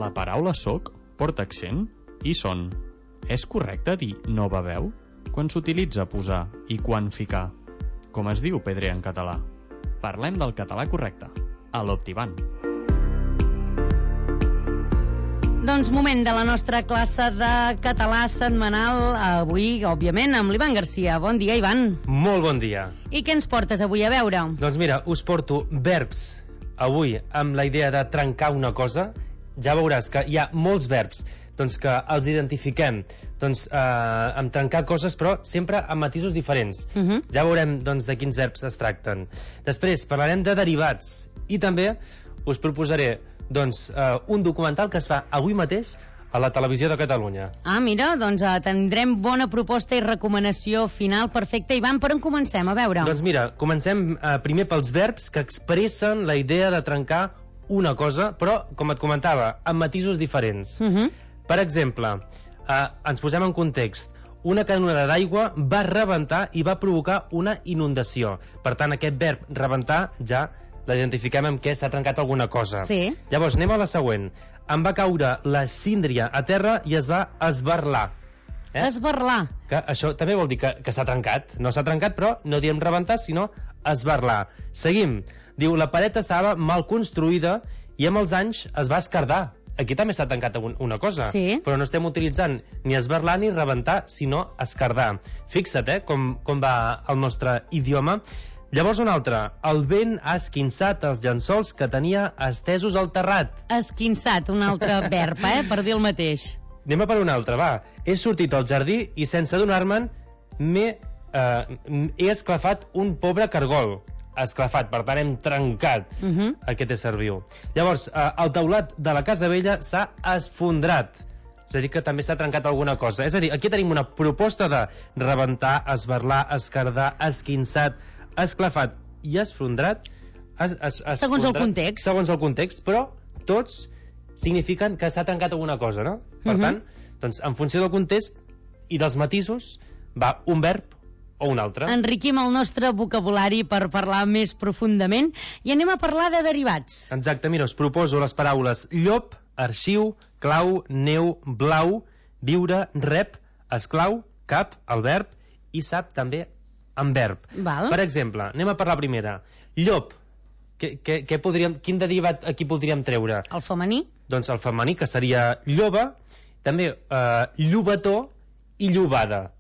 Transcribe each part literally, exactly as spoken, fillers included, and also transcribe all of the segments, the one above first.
La paraula soc porta accent i son. És correcte dir no beveu quan s'utilitza posar i quan ficar? Com es diu pedrer en català? Parlem del català correcte, a l'Optiban. Doncs moment de la nostra classe de català setmanal, avui, òbviament, amb l'Ivan Garcia. Bon dia, Ivan. Molt bon dia. I què ens portes avui a veure? Doncs mira, us porto verbs avui amb la idea de trencar una cosa. Ja veuràs que hi ha molts verbs doncs, que els identifiquem doncs, eh, amb trencar coses, però sempre amb matisos diferents. Uh -huh. Ja veurem doncs, de quins verbs es tracten. Després parlarem de derivats i també us proposaré doncs, uh, un documental que es fa avui mateix a la Televisió de Catalunya. Ah, mira, doncs uh, tindrem bona proposta i recomanació final perfecta. Ivan, per on comencem? A veure. Doncs mira, comencem uh, primer pels verbs que expressen la idea de trencar una cosa, però, com et comentava, amb matisos diferents. Uh -huh. Per exemple, uh, ens posem en context. Una canonada d'aigua va rebentar i va provocar una inundació. Per tant, aquest verb rebentar ja l'identifiquem amb què s'ha trencat alguna cosa. Sí. Llavors, anem a la següent. Em va caure la síndria a terra i es va esbarlar. Eh? Esbarlar. Que això també vol dir que, que s'ha trencat. No s'ha trencat, però no diem rebentar, sinó esbarlar. Seguim. Diu, la paret estava mal construïda i amb els anys es va esquerdar. Aquí també s'ha tancat una cosa, sí. Però no estem utilitzant ni esbarlar ni rebentar, sinó esquerdar. Fixa't, eh, com, com va el nostre idioma. Llavors un altre. El vent ha esquinçat els llençols que tenia estesos al terrat. Esquinçat, un altre verb, eh, per dir el mateix. Anem a per un altre, va. He sortit al jardí i sense adonar-me'n m'he eh, he esclafat un pobre cargol. Esclafat, per tant hem trencat uh -huh. aquest ésser viu. Llavors, eh, el teulat de la casa vella s'ha esfondrat. És a dir, que també s'ha trencat alguna cosa. És a dir, aquí tenim una proposta de rebentar, esbarlar, esquerdar, esquinçat, esclafat i esfondrat. Es, es, es segons el context. Segons el context, però tots signifiquen que s'ha trencat alguna cosa, no? Per uh -huh. tant, doncs, en funció del context i dels matisos, va un verb o un altre. Enriquim el nostre vocabulari per parlar més profundament i anem a parlar de derivats. Exacte, mira, us proposo les paraules llop, arxiu, clau, neu, blau, viure, rep, esclau, cap, el verb, i sap també en verb. Val. Per exemple, anem a parlar primera. Llop, què, què, què podríem, quin derivat aquí podríem treure? El femení? Doncs el femení, que seria lloba, també eh, llobató i llobada.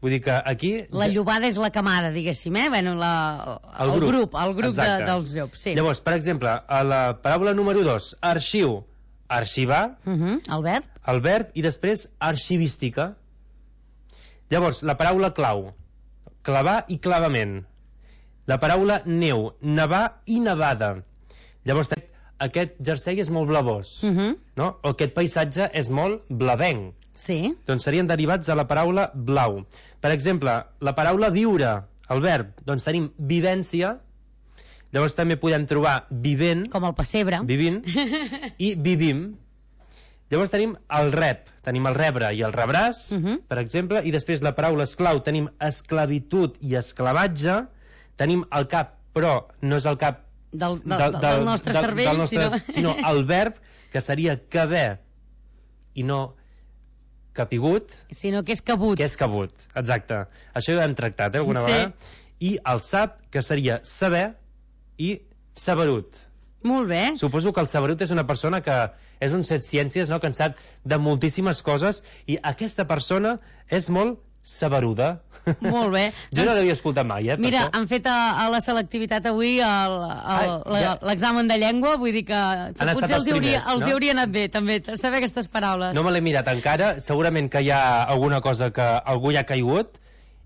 Vull dir que aquí... La llobada és la camada, diguéssim, eh? Bueno, la, el, el grup, grup el grup de, dels llops, sí. Llavors, per exemple, a la paraula número dos, arxiu, arxivar, uh -huh. el verb, el verb, i després arxivística. Llavors, la paraula clau, clavar i clavament. La paraula neu, nevar i nevada. Llavors, aquest jersei és molt blavós, uh -huh. no? O aquest paisatge és molt blavenc. Sí. Doncs serien derivats de la paraula blau. Per exemple, la paraula viure, el verb, doncs tenim vivència, llavors també podem trobar vivent, com el pessebre, vivint, i vivim. Llavors tenim el rep, tenim el rebre i el rebràs, uh -huh. per exemple, i després la paraula esclau tenim esclavitud i esclavatge, tenim el cap, però no és el cap del, del, del, del nostre del, cervell, del nostre, sinó... sinó el verb, que seria caber, i no capigut, sinó que és cabut. Que és cabut, exacte. Això ja ho hem tractat, eh, alguna sí. vegada. I el sap, que seria saber, i saberut. Molt bé. Suposo que el saberut és una persona que és un set ciències, no?, que en sap de moltíssimes coses, i aquesta persona és molt saberuda. Molt bé. Jo no l'havia escoltat mai, eh? Mira, han fet a, a la selectivitat avui l'examen ja. de llengua, vull dir que potser els, els hauria, primers, els no? hauria anat bé, també, saber aquestes paraules. No me l'he mirat encara, segurament que hi ha alguna cosa que algú hi ha caigut,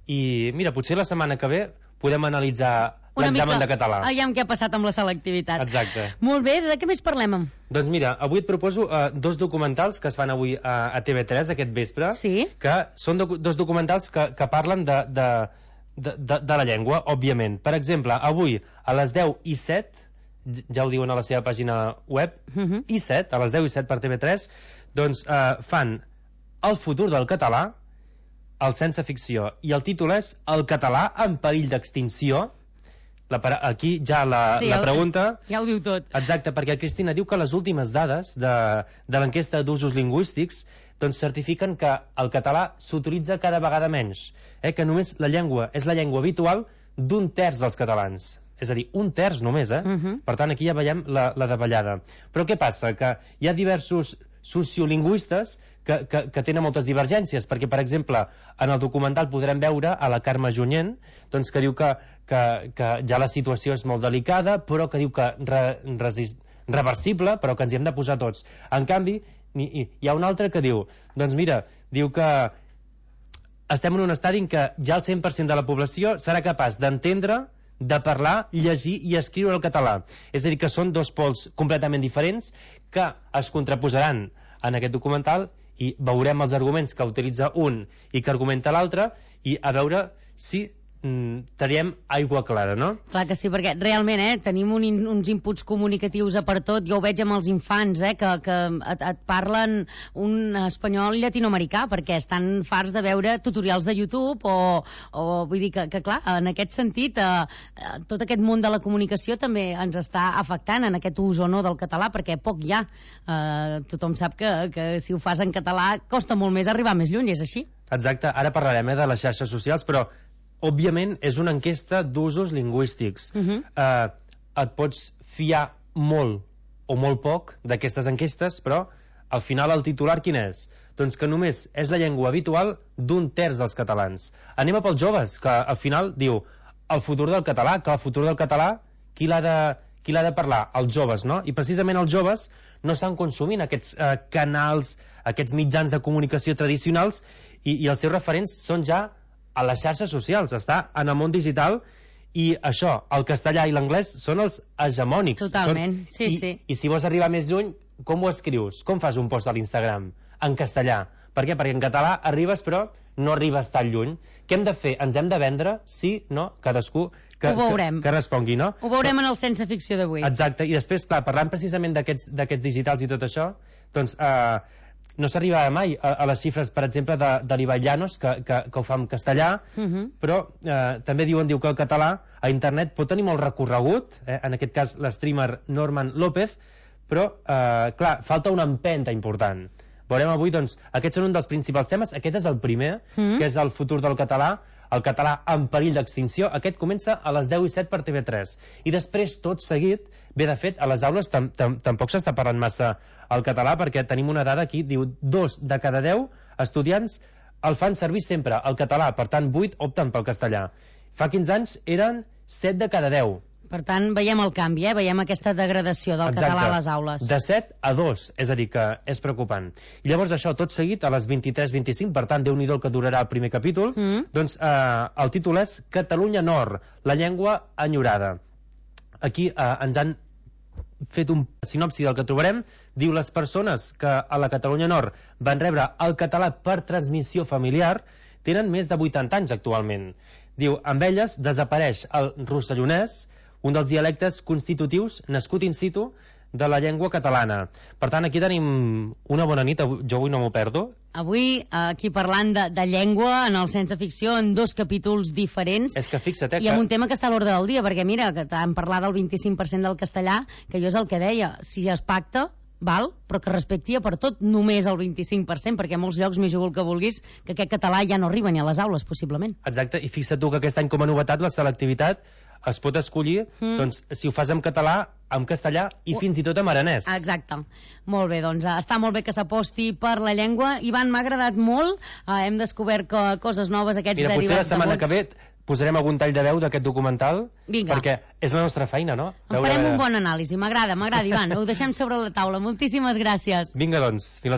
i mira, potser la setmana que ve podem analitzar l'examen de català. Aviam què ha passat amb la selectivitat. Exacte. Molt bé, de què més parlem? Doncs mira, avui et proposo uh, dos documentals que es fan avui a, a T V tres aquest vespre, sí? que són do dos documentals que, que parlen de, de, de, de, de la llengua, òbviament. Per exemple, avui a les deu i set, ja ho diuen a la seva pàgina web, uh -huh. i set, a les deu i set per T V tres, doncs uh, fan El futur del català, el sense ficció, i el títol és El català en perill d'extinció. La, aquí ja la, sí, la el, pregunta... Ja ho diu tot. Exacte, perquè Cristina diu que les últimes dades de, de l'enquesta d'usos lingüístics doncs certifiquen que el català s'utilitza cada vegada menys, eh, que només la llengua és la llengua habitual d'un terç dels catalans. És a dir, un terç només, eh? Uh -huh. Per tant, aquí ja veiem la, la davallada. Però què passa? Que hi ha diversos sociolingüistes que, que, que tenen moltes divergències, perquè, per exemple, en el documental podrem veure a la Carme Junyent, doncs, que diu que, que, que ja la situació és molt delicada, però que diu que re, resist, reversible, però que ens hi hem de posar tots. En canvi, hi, hi ha un altre que diu, doncs mira, diu que estem en un estadi en què ja el cent per cent de la població serà capaç d'entendre, de parlar, llegir i escriure el català. És a dir, que són dos pols completament diferents que es contraposaran en aquest documental i veurem els arguments que utilitza un i que argumenta l'altre i a veure si mm, teníem aigua clara, no? Clar que sí, perquè realment eh, tenim un in, uns inputs comunicatius a per tot. Jo ho veig amb els infants, eh, que, que et, et parlen un espanyol llatinoamericà, perquè estan farts de veure tutorials de YouTube o, o vull dir que, que clar, en aquest sentit eh, tot aquest món de la comunicació també ens està afectant en aquest ús o no del català, perquè poc hi ha. Eh, tothom sap que, que si ho fas en català costa molt més arribar més lluny, és així? Exacte, ara parlarem eh, de les xarxes socials, però òbviament és una enquesta d'usos lingüístics. Uh -huh. eh, et pots fiar molt o molt poc d'aquestes enquestes, però al final el titular quin és? Doncs que només és la llengua habitual d'un terç dels catalans. Anem a pels joves, que al final diu el futur del català, que el futur del català qui l'ha de, qui l'ha de parlar? Els joves, no? I precisament els joves no estan consumint aquests eh, canals, aquests mitjans de comunicació tradicionals i, i els seus referents són ja a les xarxes socials, està en el món digital i això, el castellà i l'anglès són els hegemònics. Totalment, són, sí, i, sí. I si vols arribar més lluny, com ho escrius? Com fas un post a l'Instagram? En castellà. Per què? Perquè en català arribes però no arribes tan lluny. Què hem de fer? Ens hem de vendre? Sí? No? Cadascú que, ho veurem. que, que respongui, no? Ho veurem en el Sense Ficció d'avui. Exacte, i després, clar, parlant precisament d'aquests digitals i tot això, doncs... Eh, no s'arriba mai a, a les xifres, per exemple, de, de l'Ibai Llanos, que, que, que ho fa en castellà, uh -huh. però eh, també diuen diu que el català a internet pot tenir molt recorregut, eh, en aquest cas l'streamer Norman López, però, eh, clar, falta una empenta important. Veurem avui, doncs, aquests són un dels principals temes. Aquest és el primer, uh -huh. que és el futur del català, el català en perill d'extinció. Aquest comença a les deu i set per T V tres. I després, tot seguit, bé, de fet, a les aules tam tam tampoc s'està parlant massa el català, perquè tenim una dada aquí, diu, dos de cada deu estudiants el fan servir sempre, el català, per tant, vuit opten pel castellà. Fa quinze anys eren set de cada deu. Per tant, veiem el canvi, eh? Veiem aquesta degradació del Exacte. català a les aules. De set a dos, és a dir, que és preocupant. I llavors això, tot seguit, a les vint-i-tres vint-i-cinc, per tant, Déu-n'hi-do el que durarà el primer capítol, mm. doncs eh, el títol és Catalunya Nord, la llengua enyorada. Aquí eh, ens han fet un sinopsi del que trobarem. Diu, les persones que a la Catalunya Nord van rebre el català per transmissió familiar tenen més de vuitanta anys actualment. Diu, amb elles desapareix el rossellonès, un dels dialectes constitutius nascut in situ de la llengua catalana. Per tant, aquí tenim una bona nit, jo avui no m'ho perdo. Avui, aquí parlant de, de llengua, en el Sense Ficció, en dos capítols diferents. És que fixa't, eh, I amb un tema que està a l'ordre del dia, perquè mira, que t'han parlat del vint-i-cinc per cent del castellà, que jo és el que deia, si es pacta, val, però que respecti per tot només el vint-i-cinc per cent, perquè a molts llocs, m'hi jugo el que vulguis, que aquest català ja no arriba ni a les aules, possiblement. Exacte, i fixa't tu que aquest any com a novetat la selectivitat es pot escollir, mm. doncs, si ho fas en català, en castellà i uh. fins i tot en aranès. Exacte. Molt bé, doncs està molt bé que s'aposti per la llengua. Ivan, m'ha agradat molt. Uh, hem descobert co coses noves, aquests Mira, derivats de vots. Mira, potser la setmana que ve posarem algun tall de veu d'aquest documental. Vinga. Perquè és la nostra feina, no? En farem un bon anàlisi. M'agrada, m'agrada, Ivan. Ho deixem sobre la taula. Moltíssimes gràcies. Vinga, doncs. Fins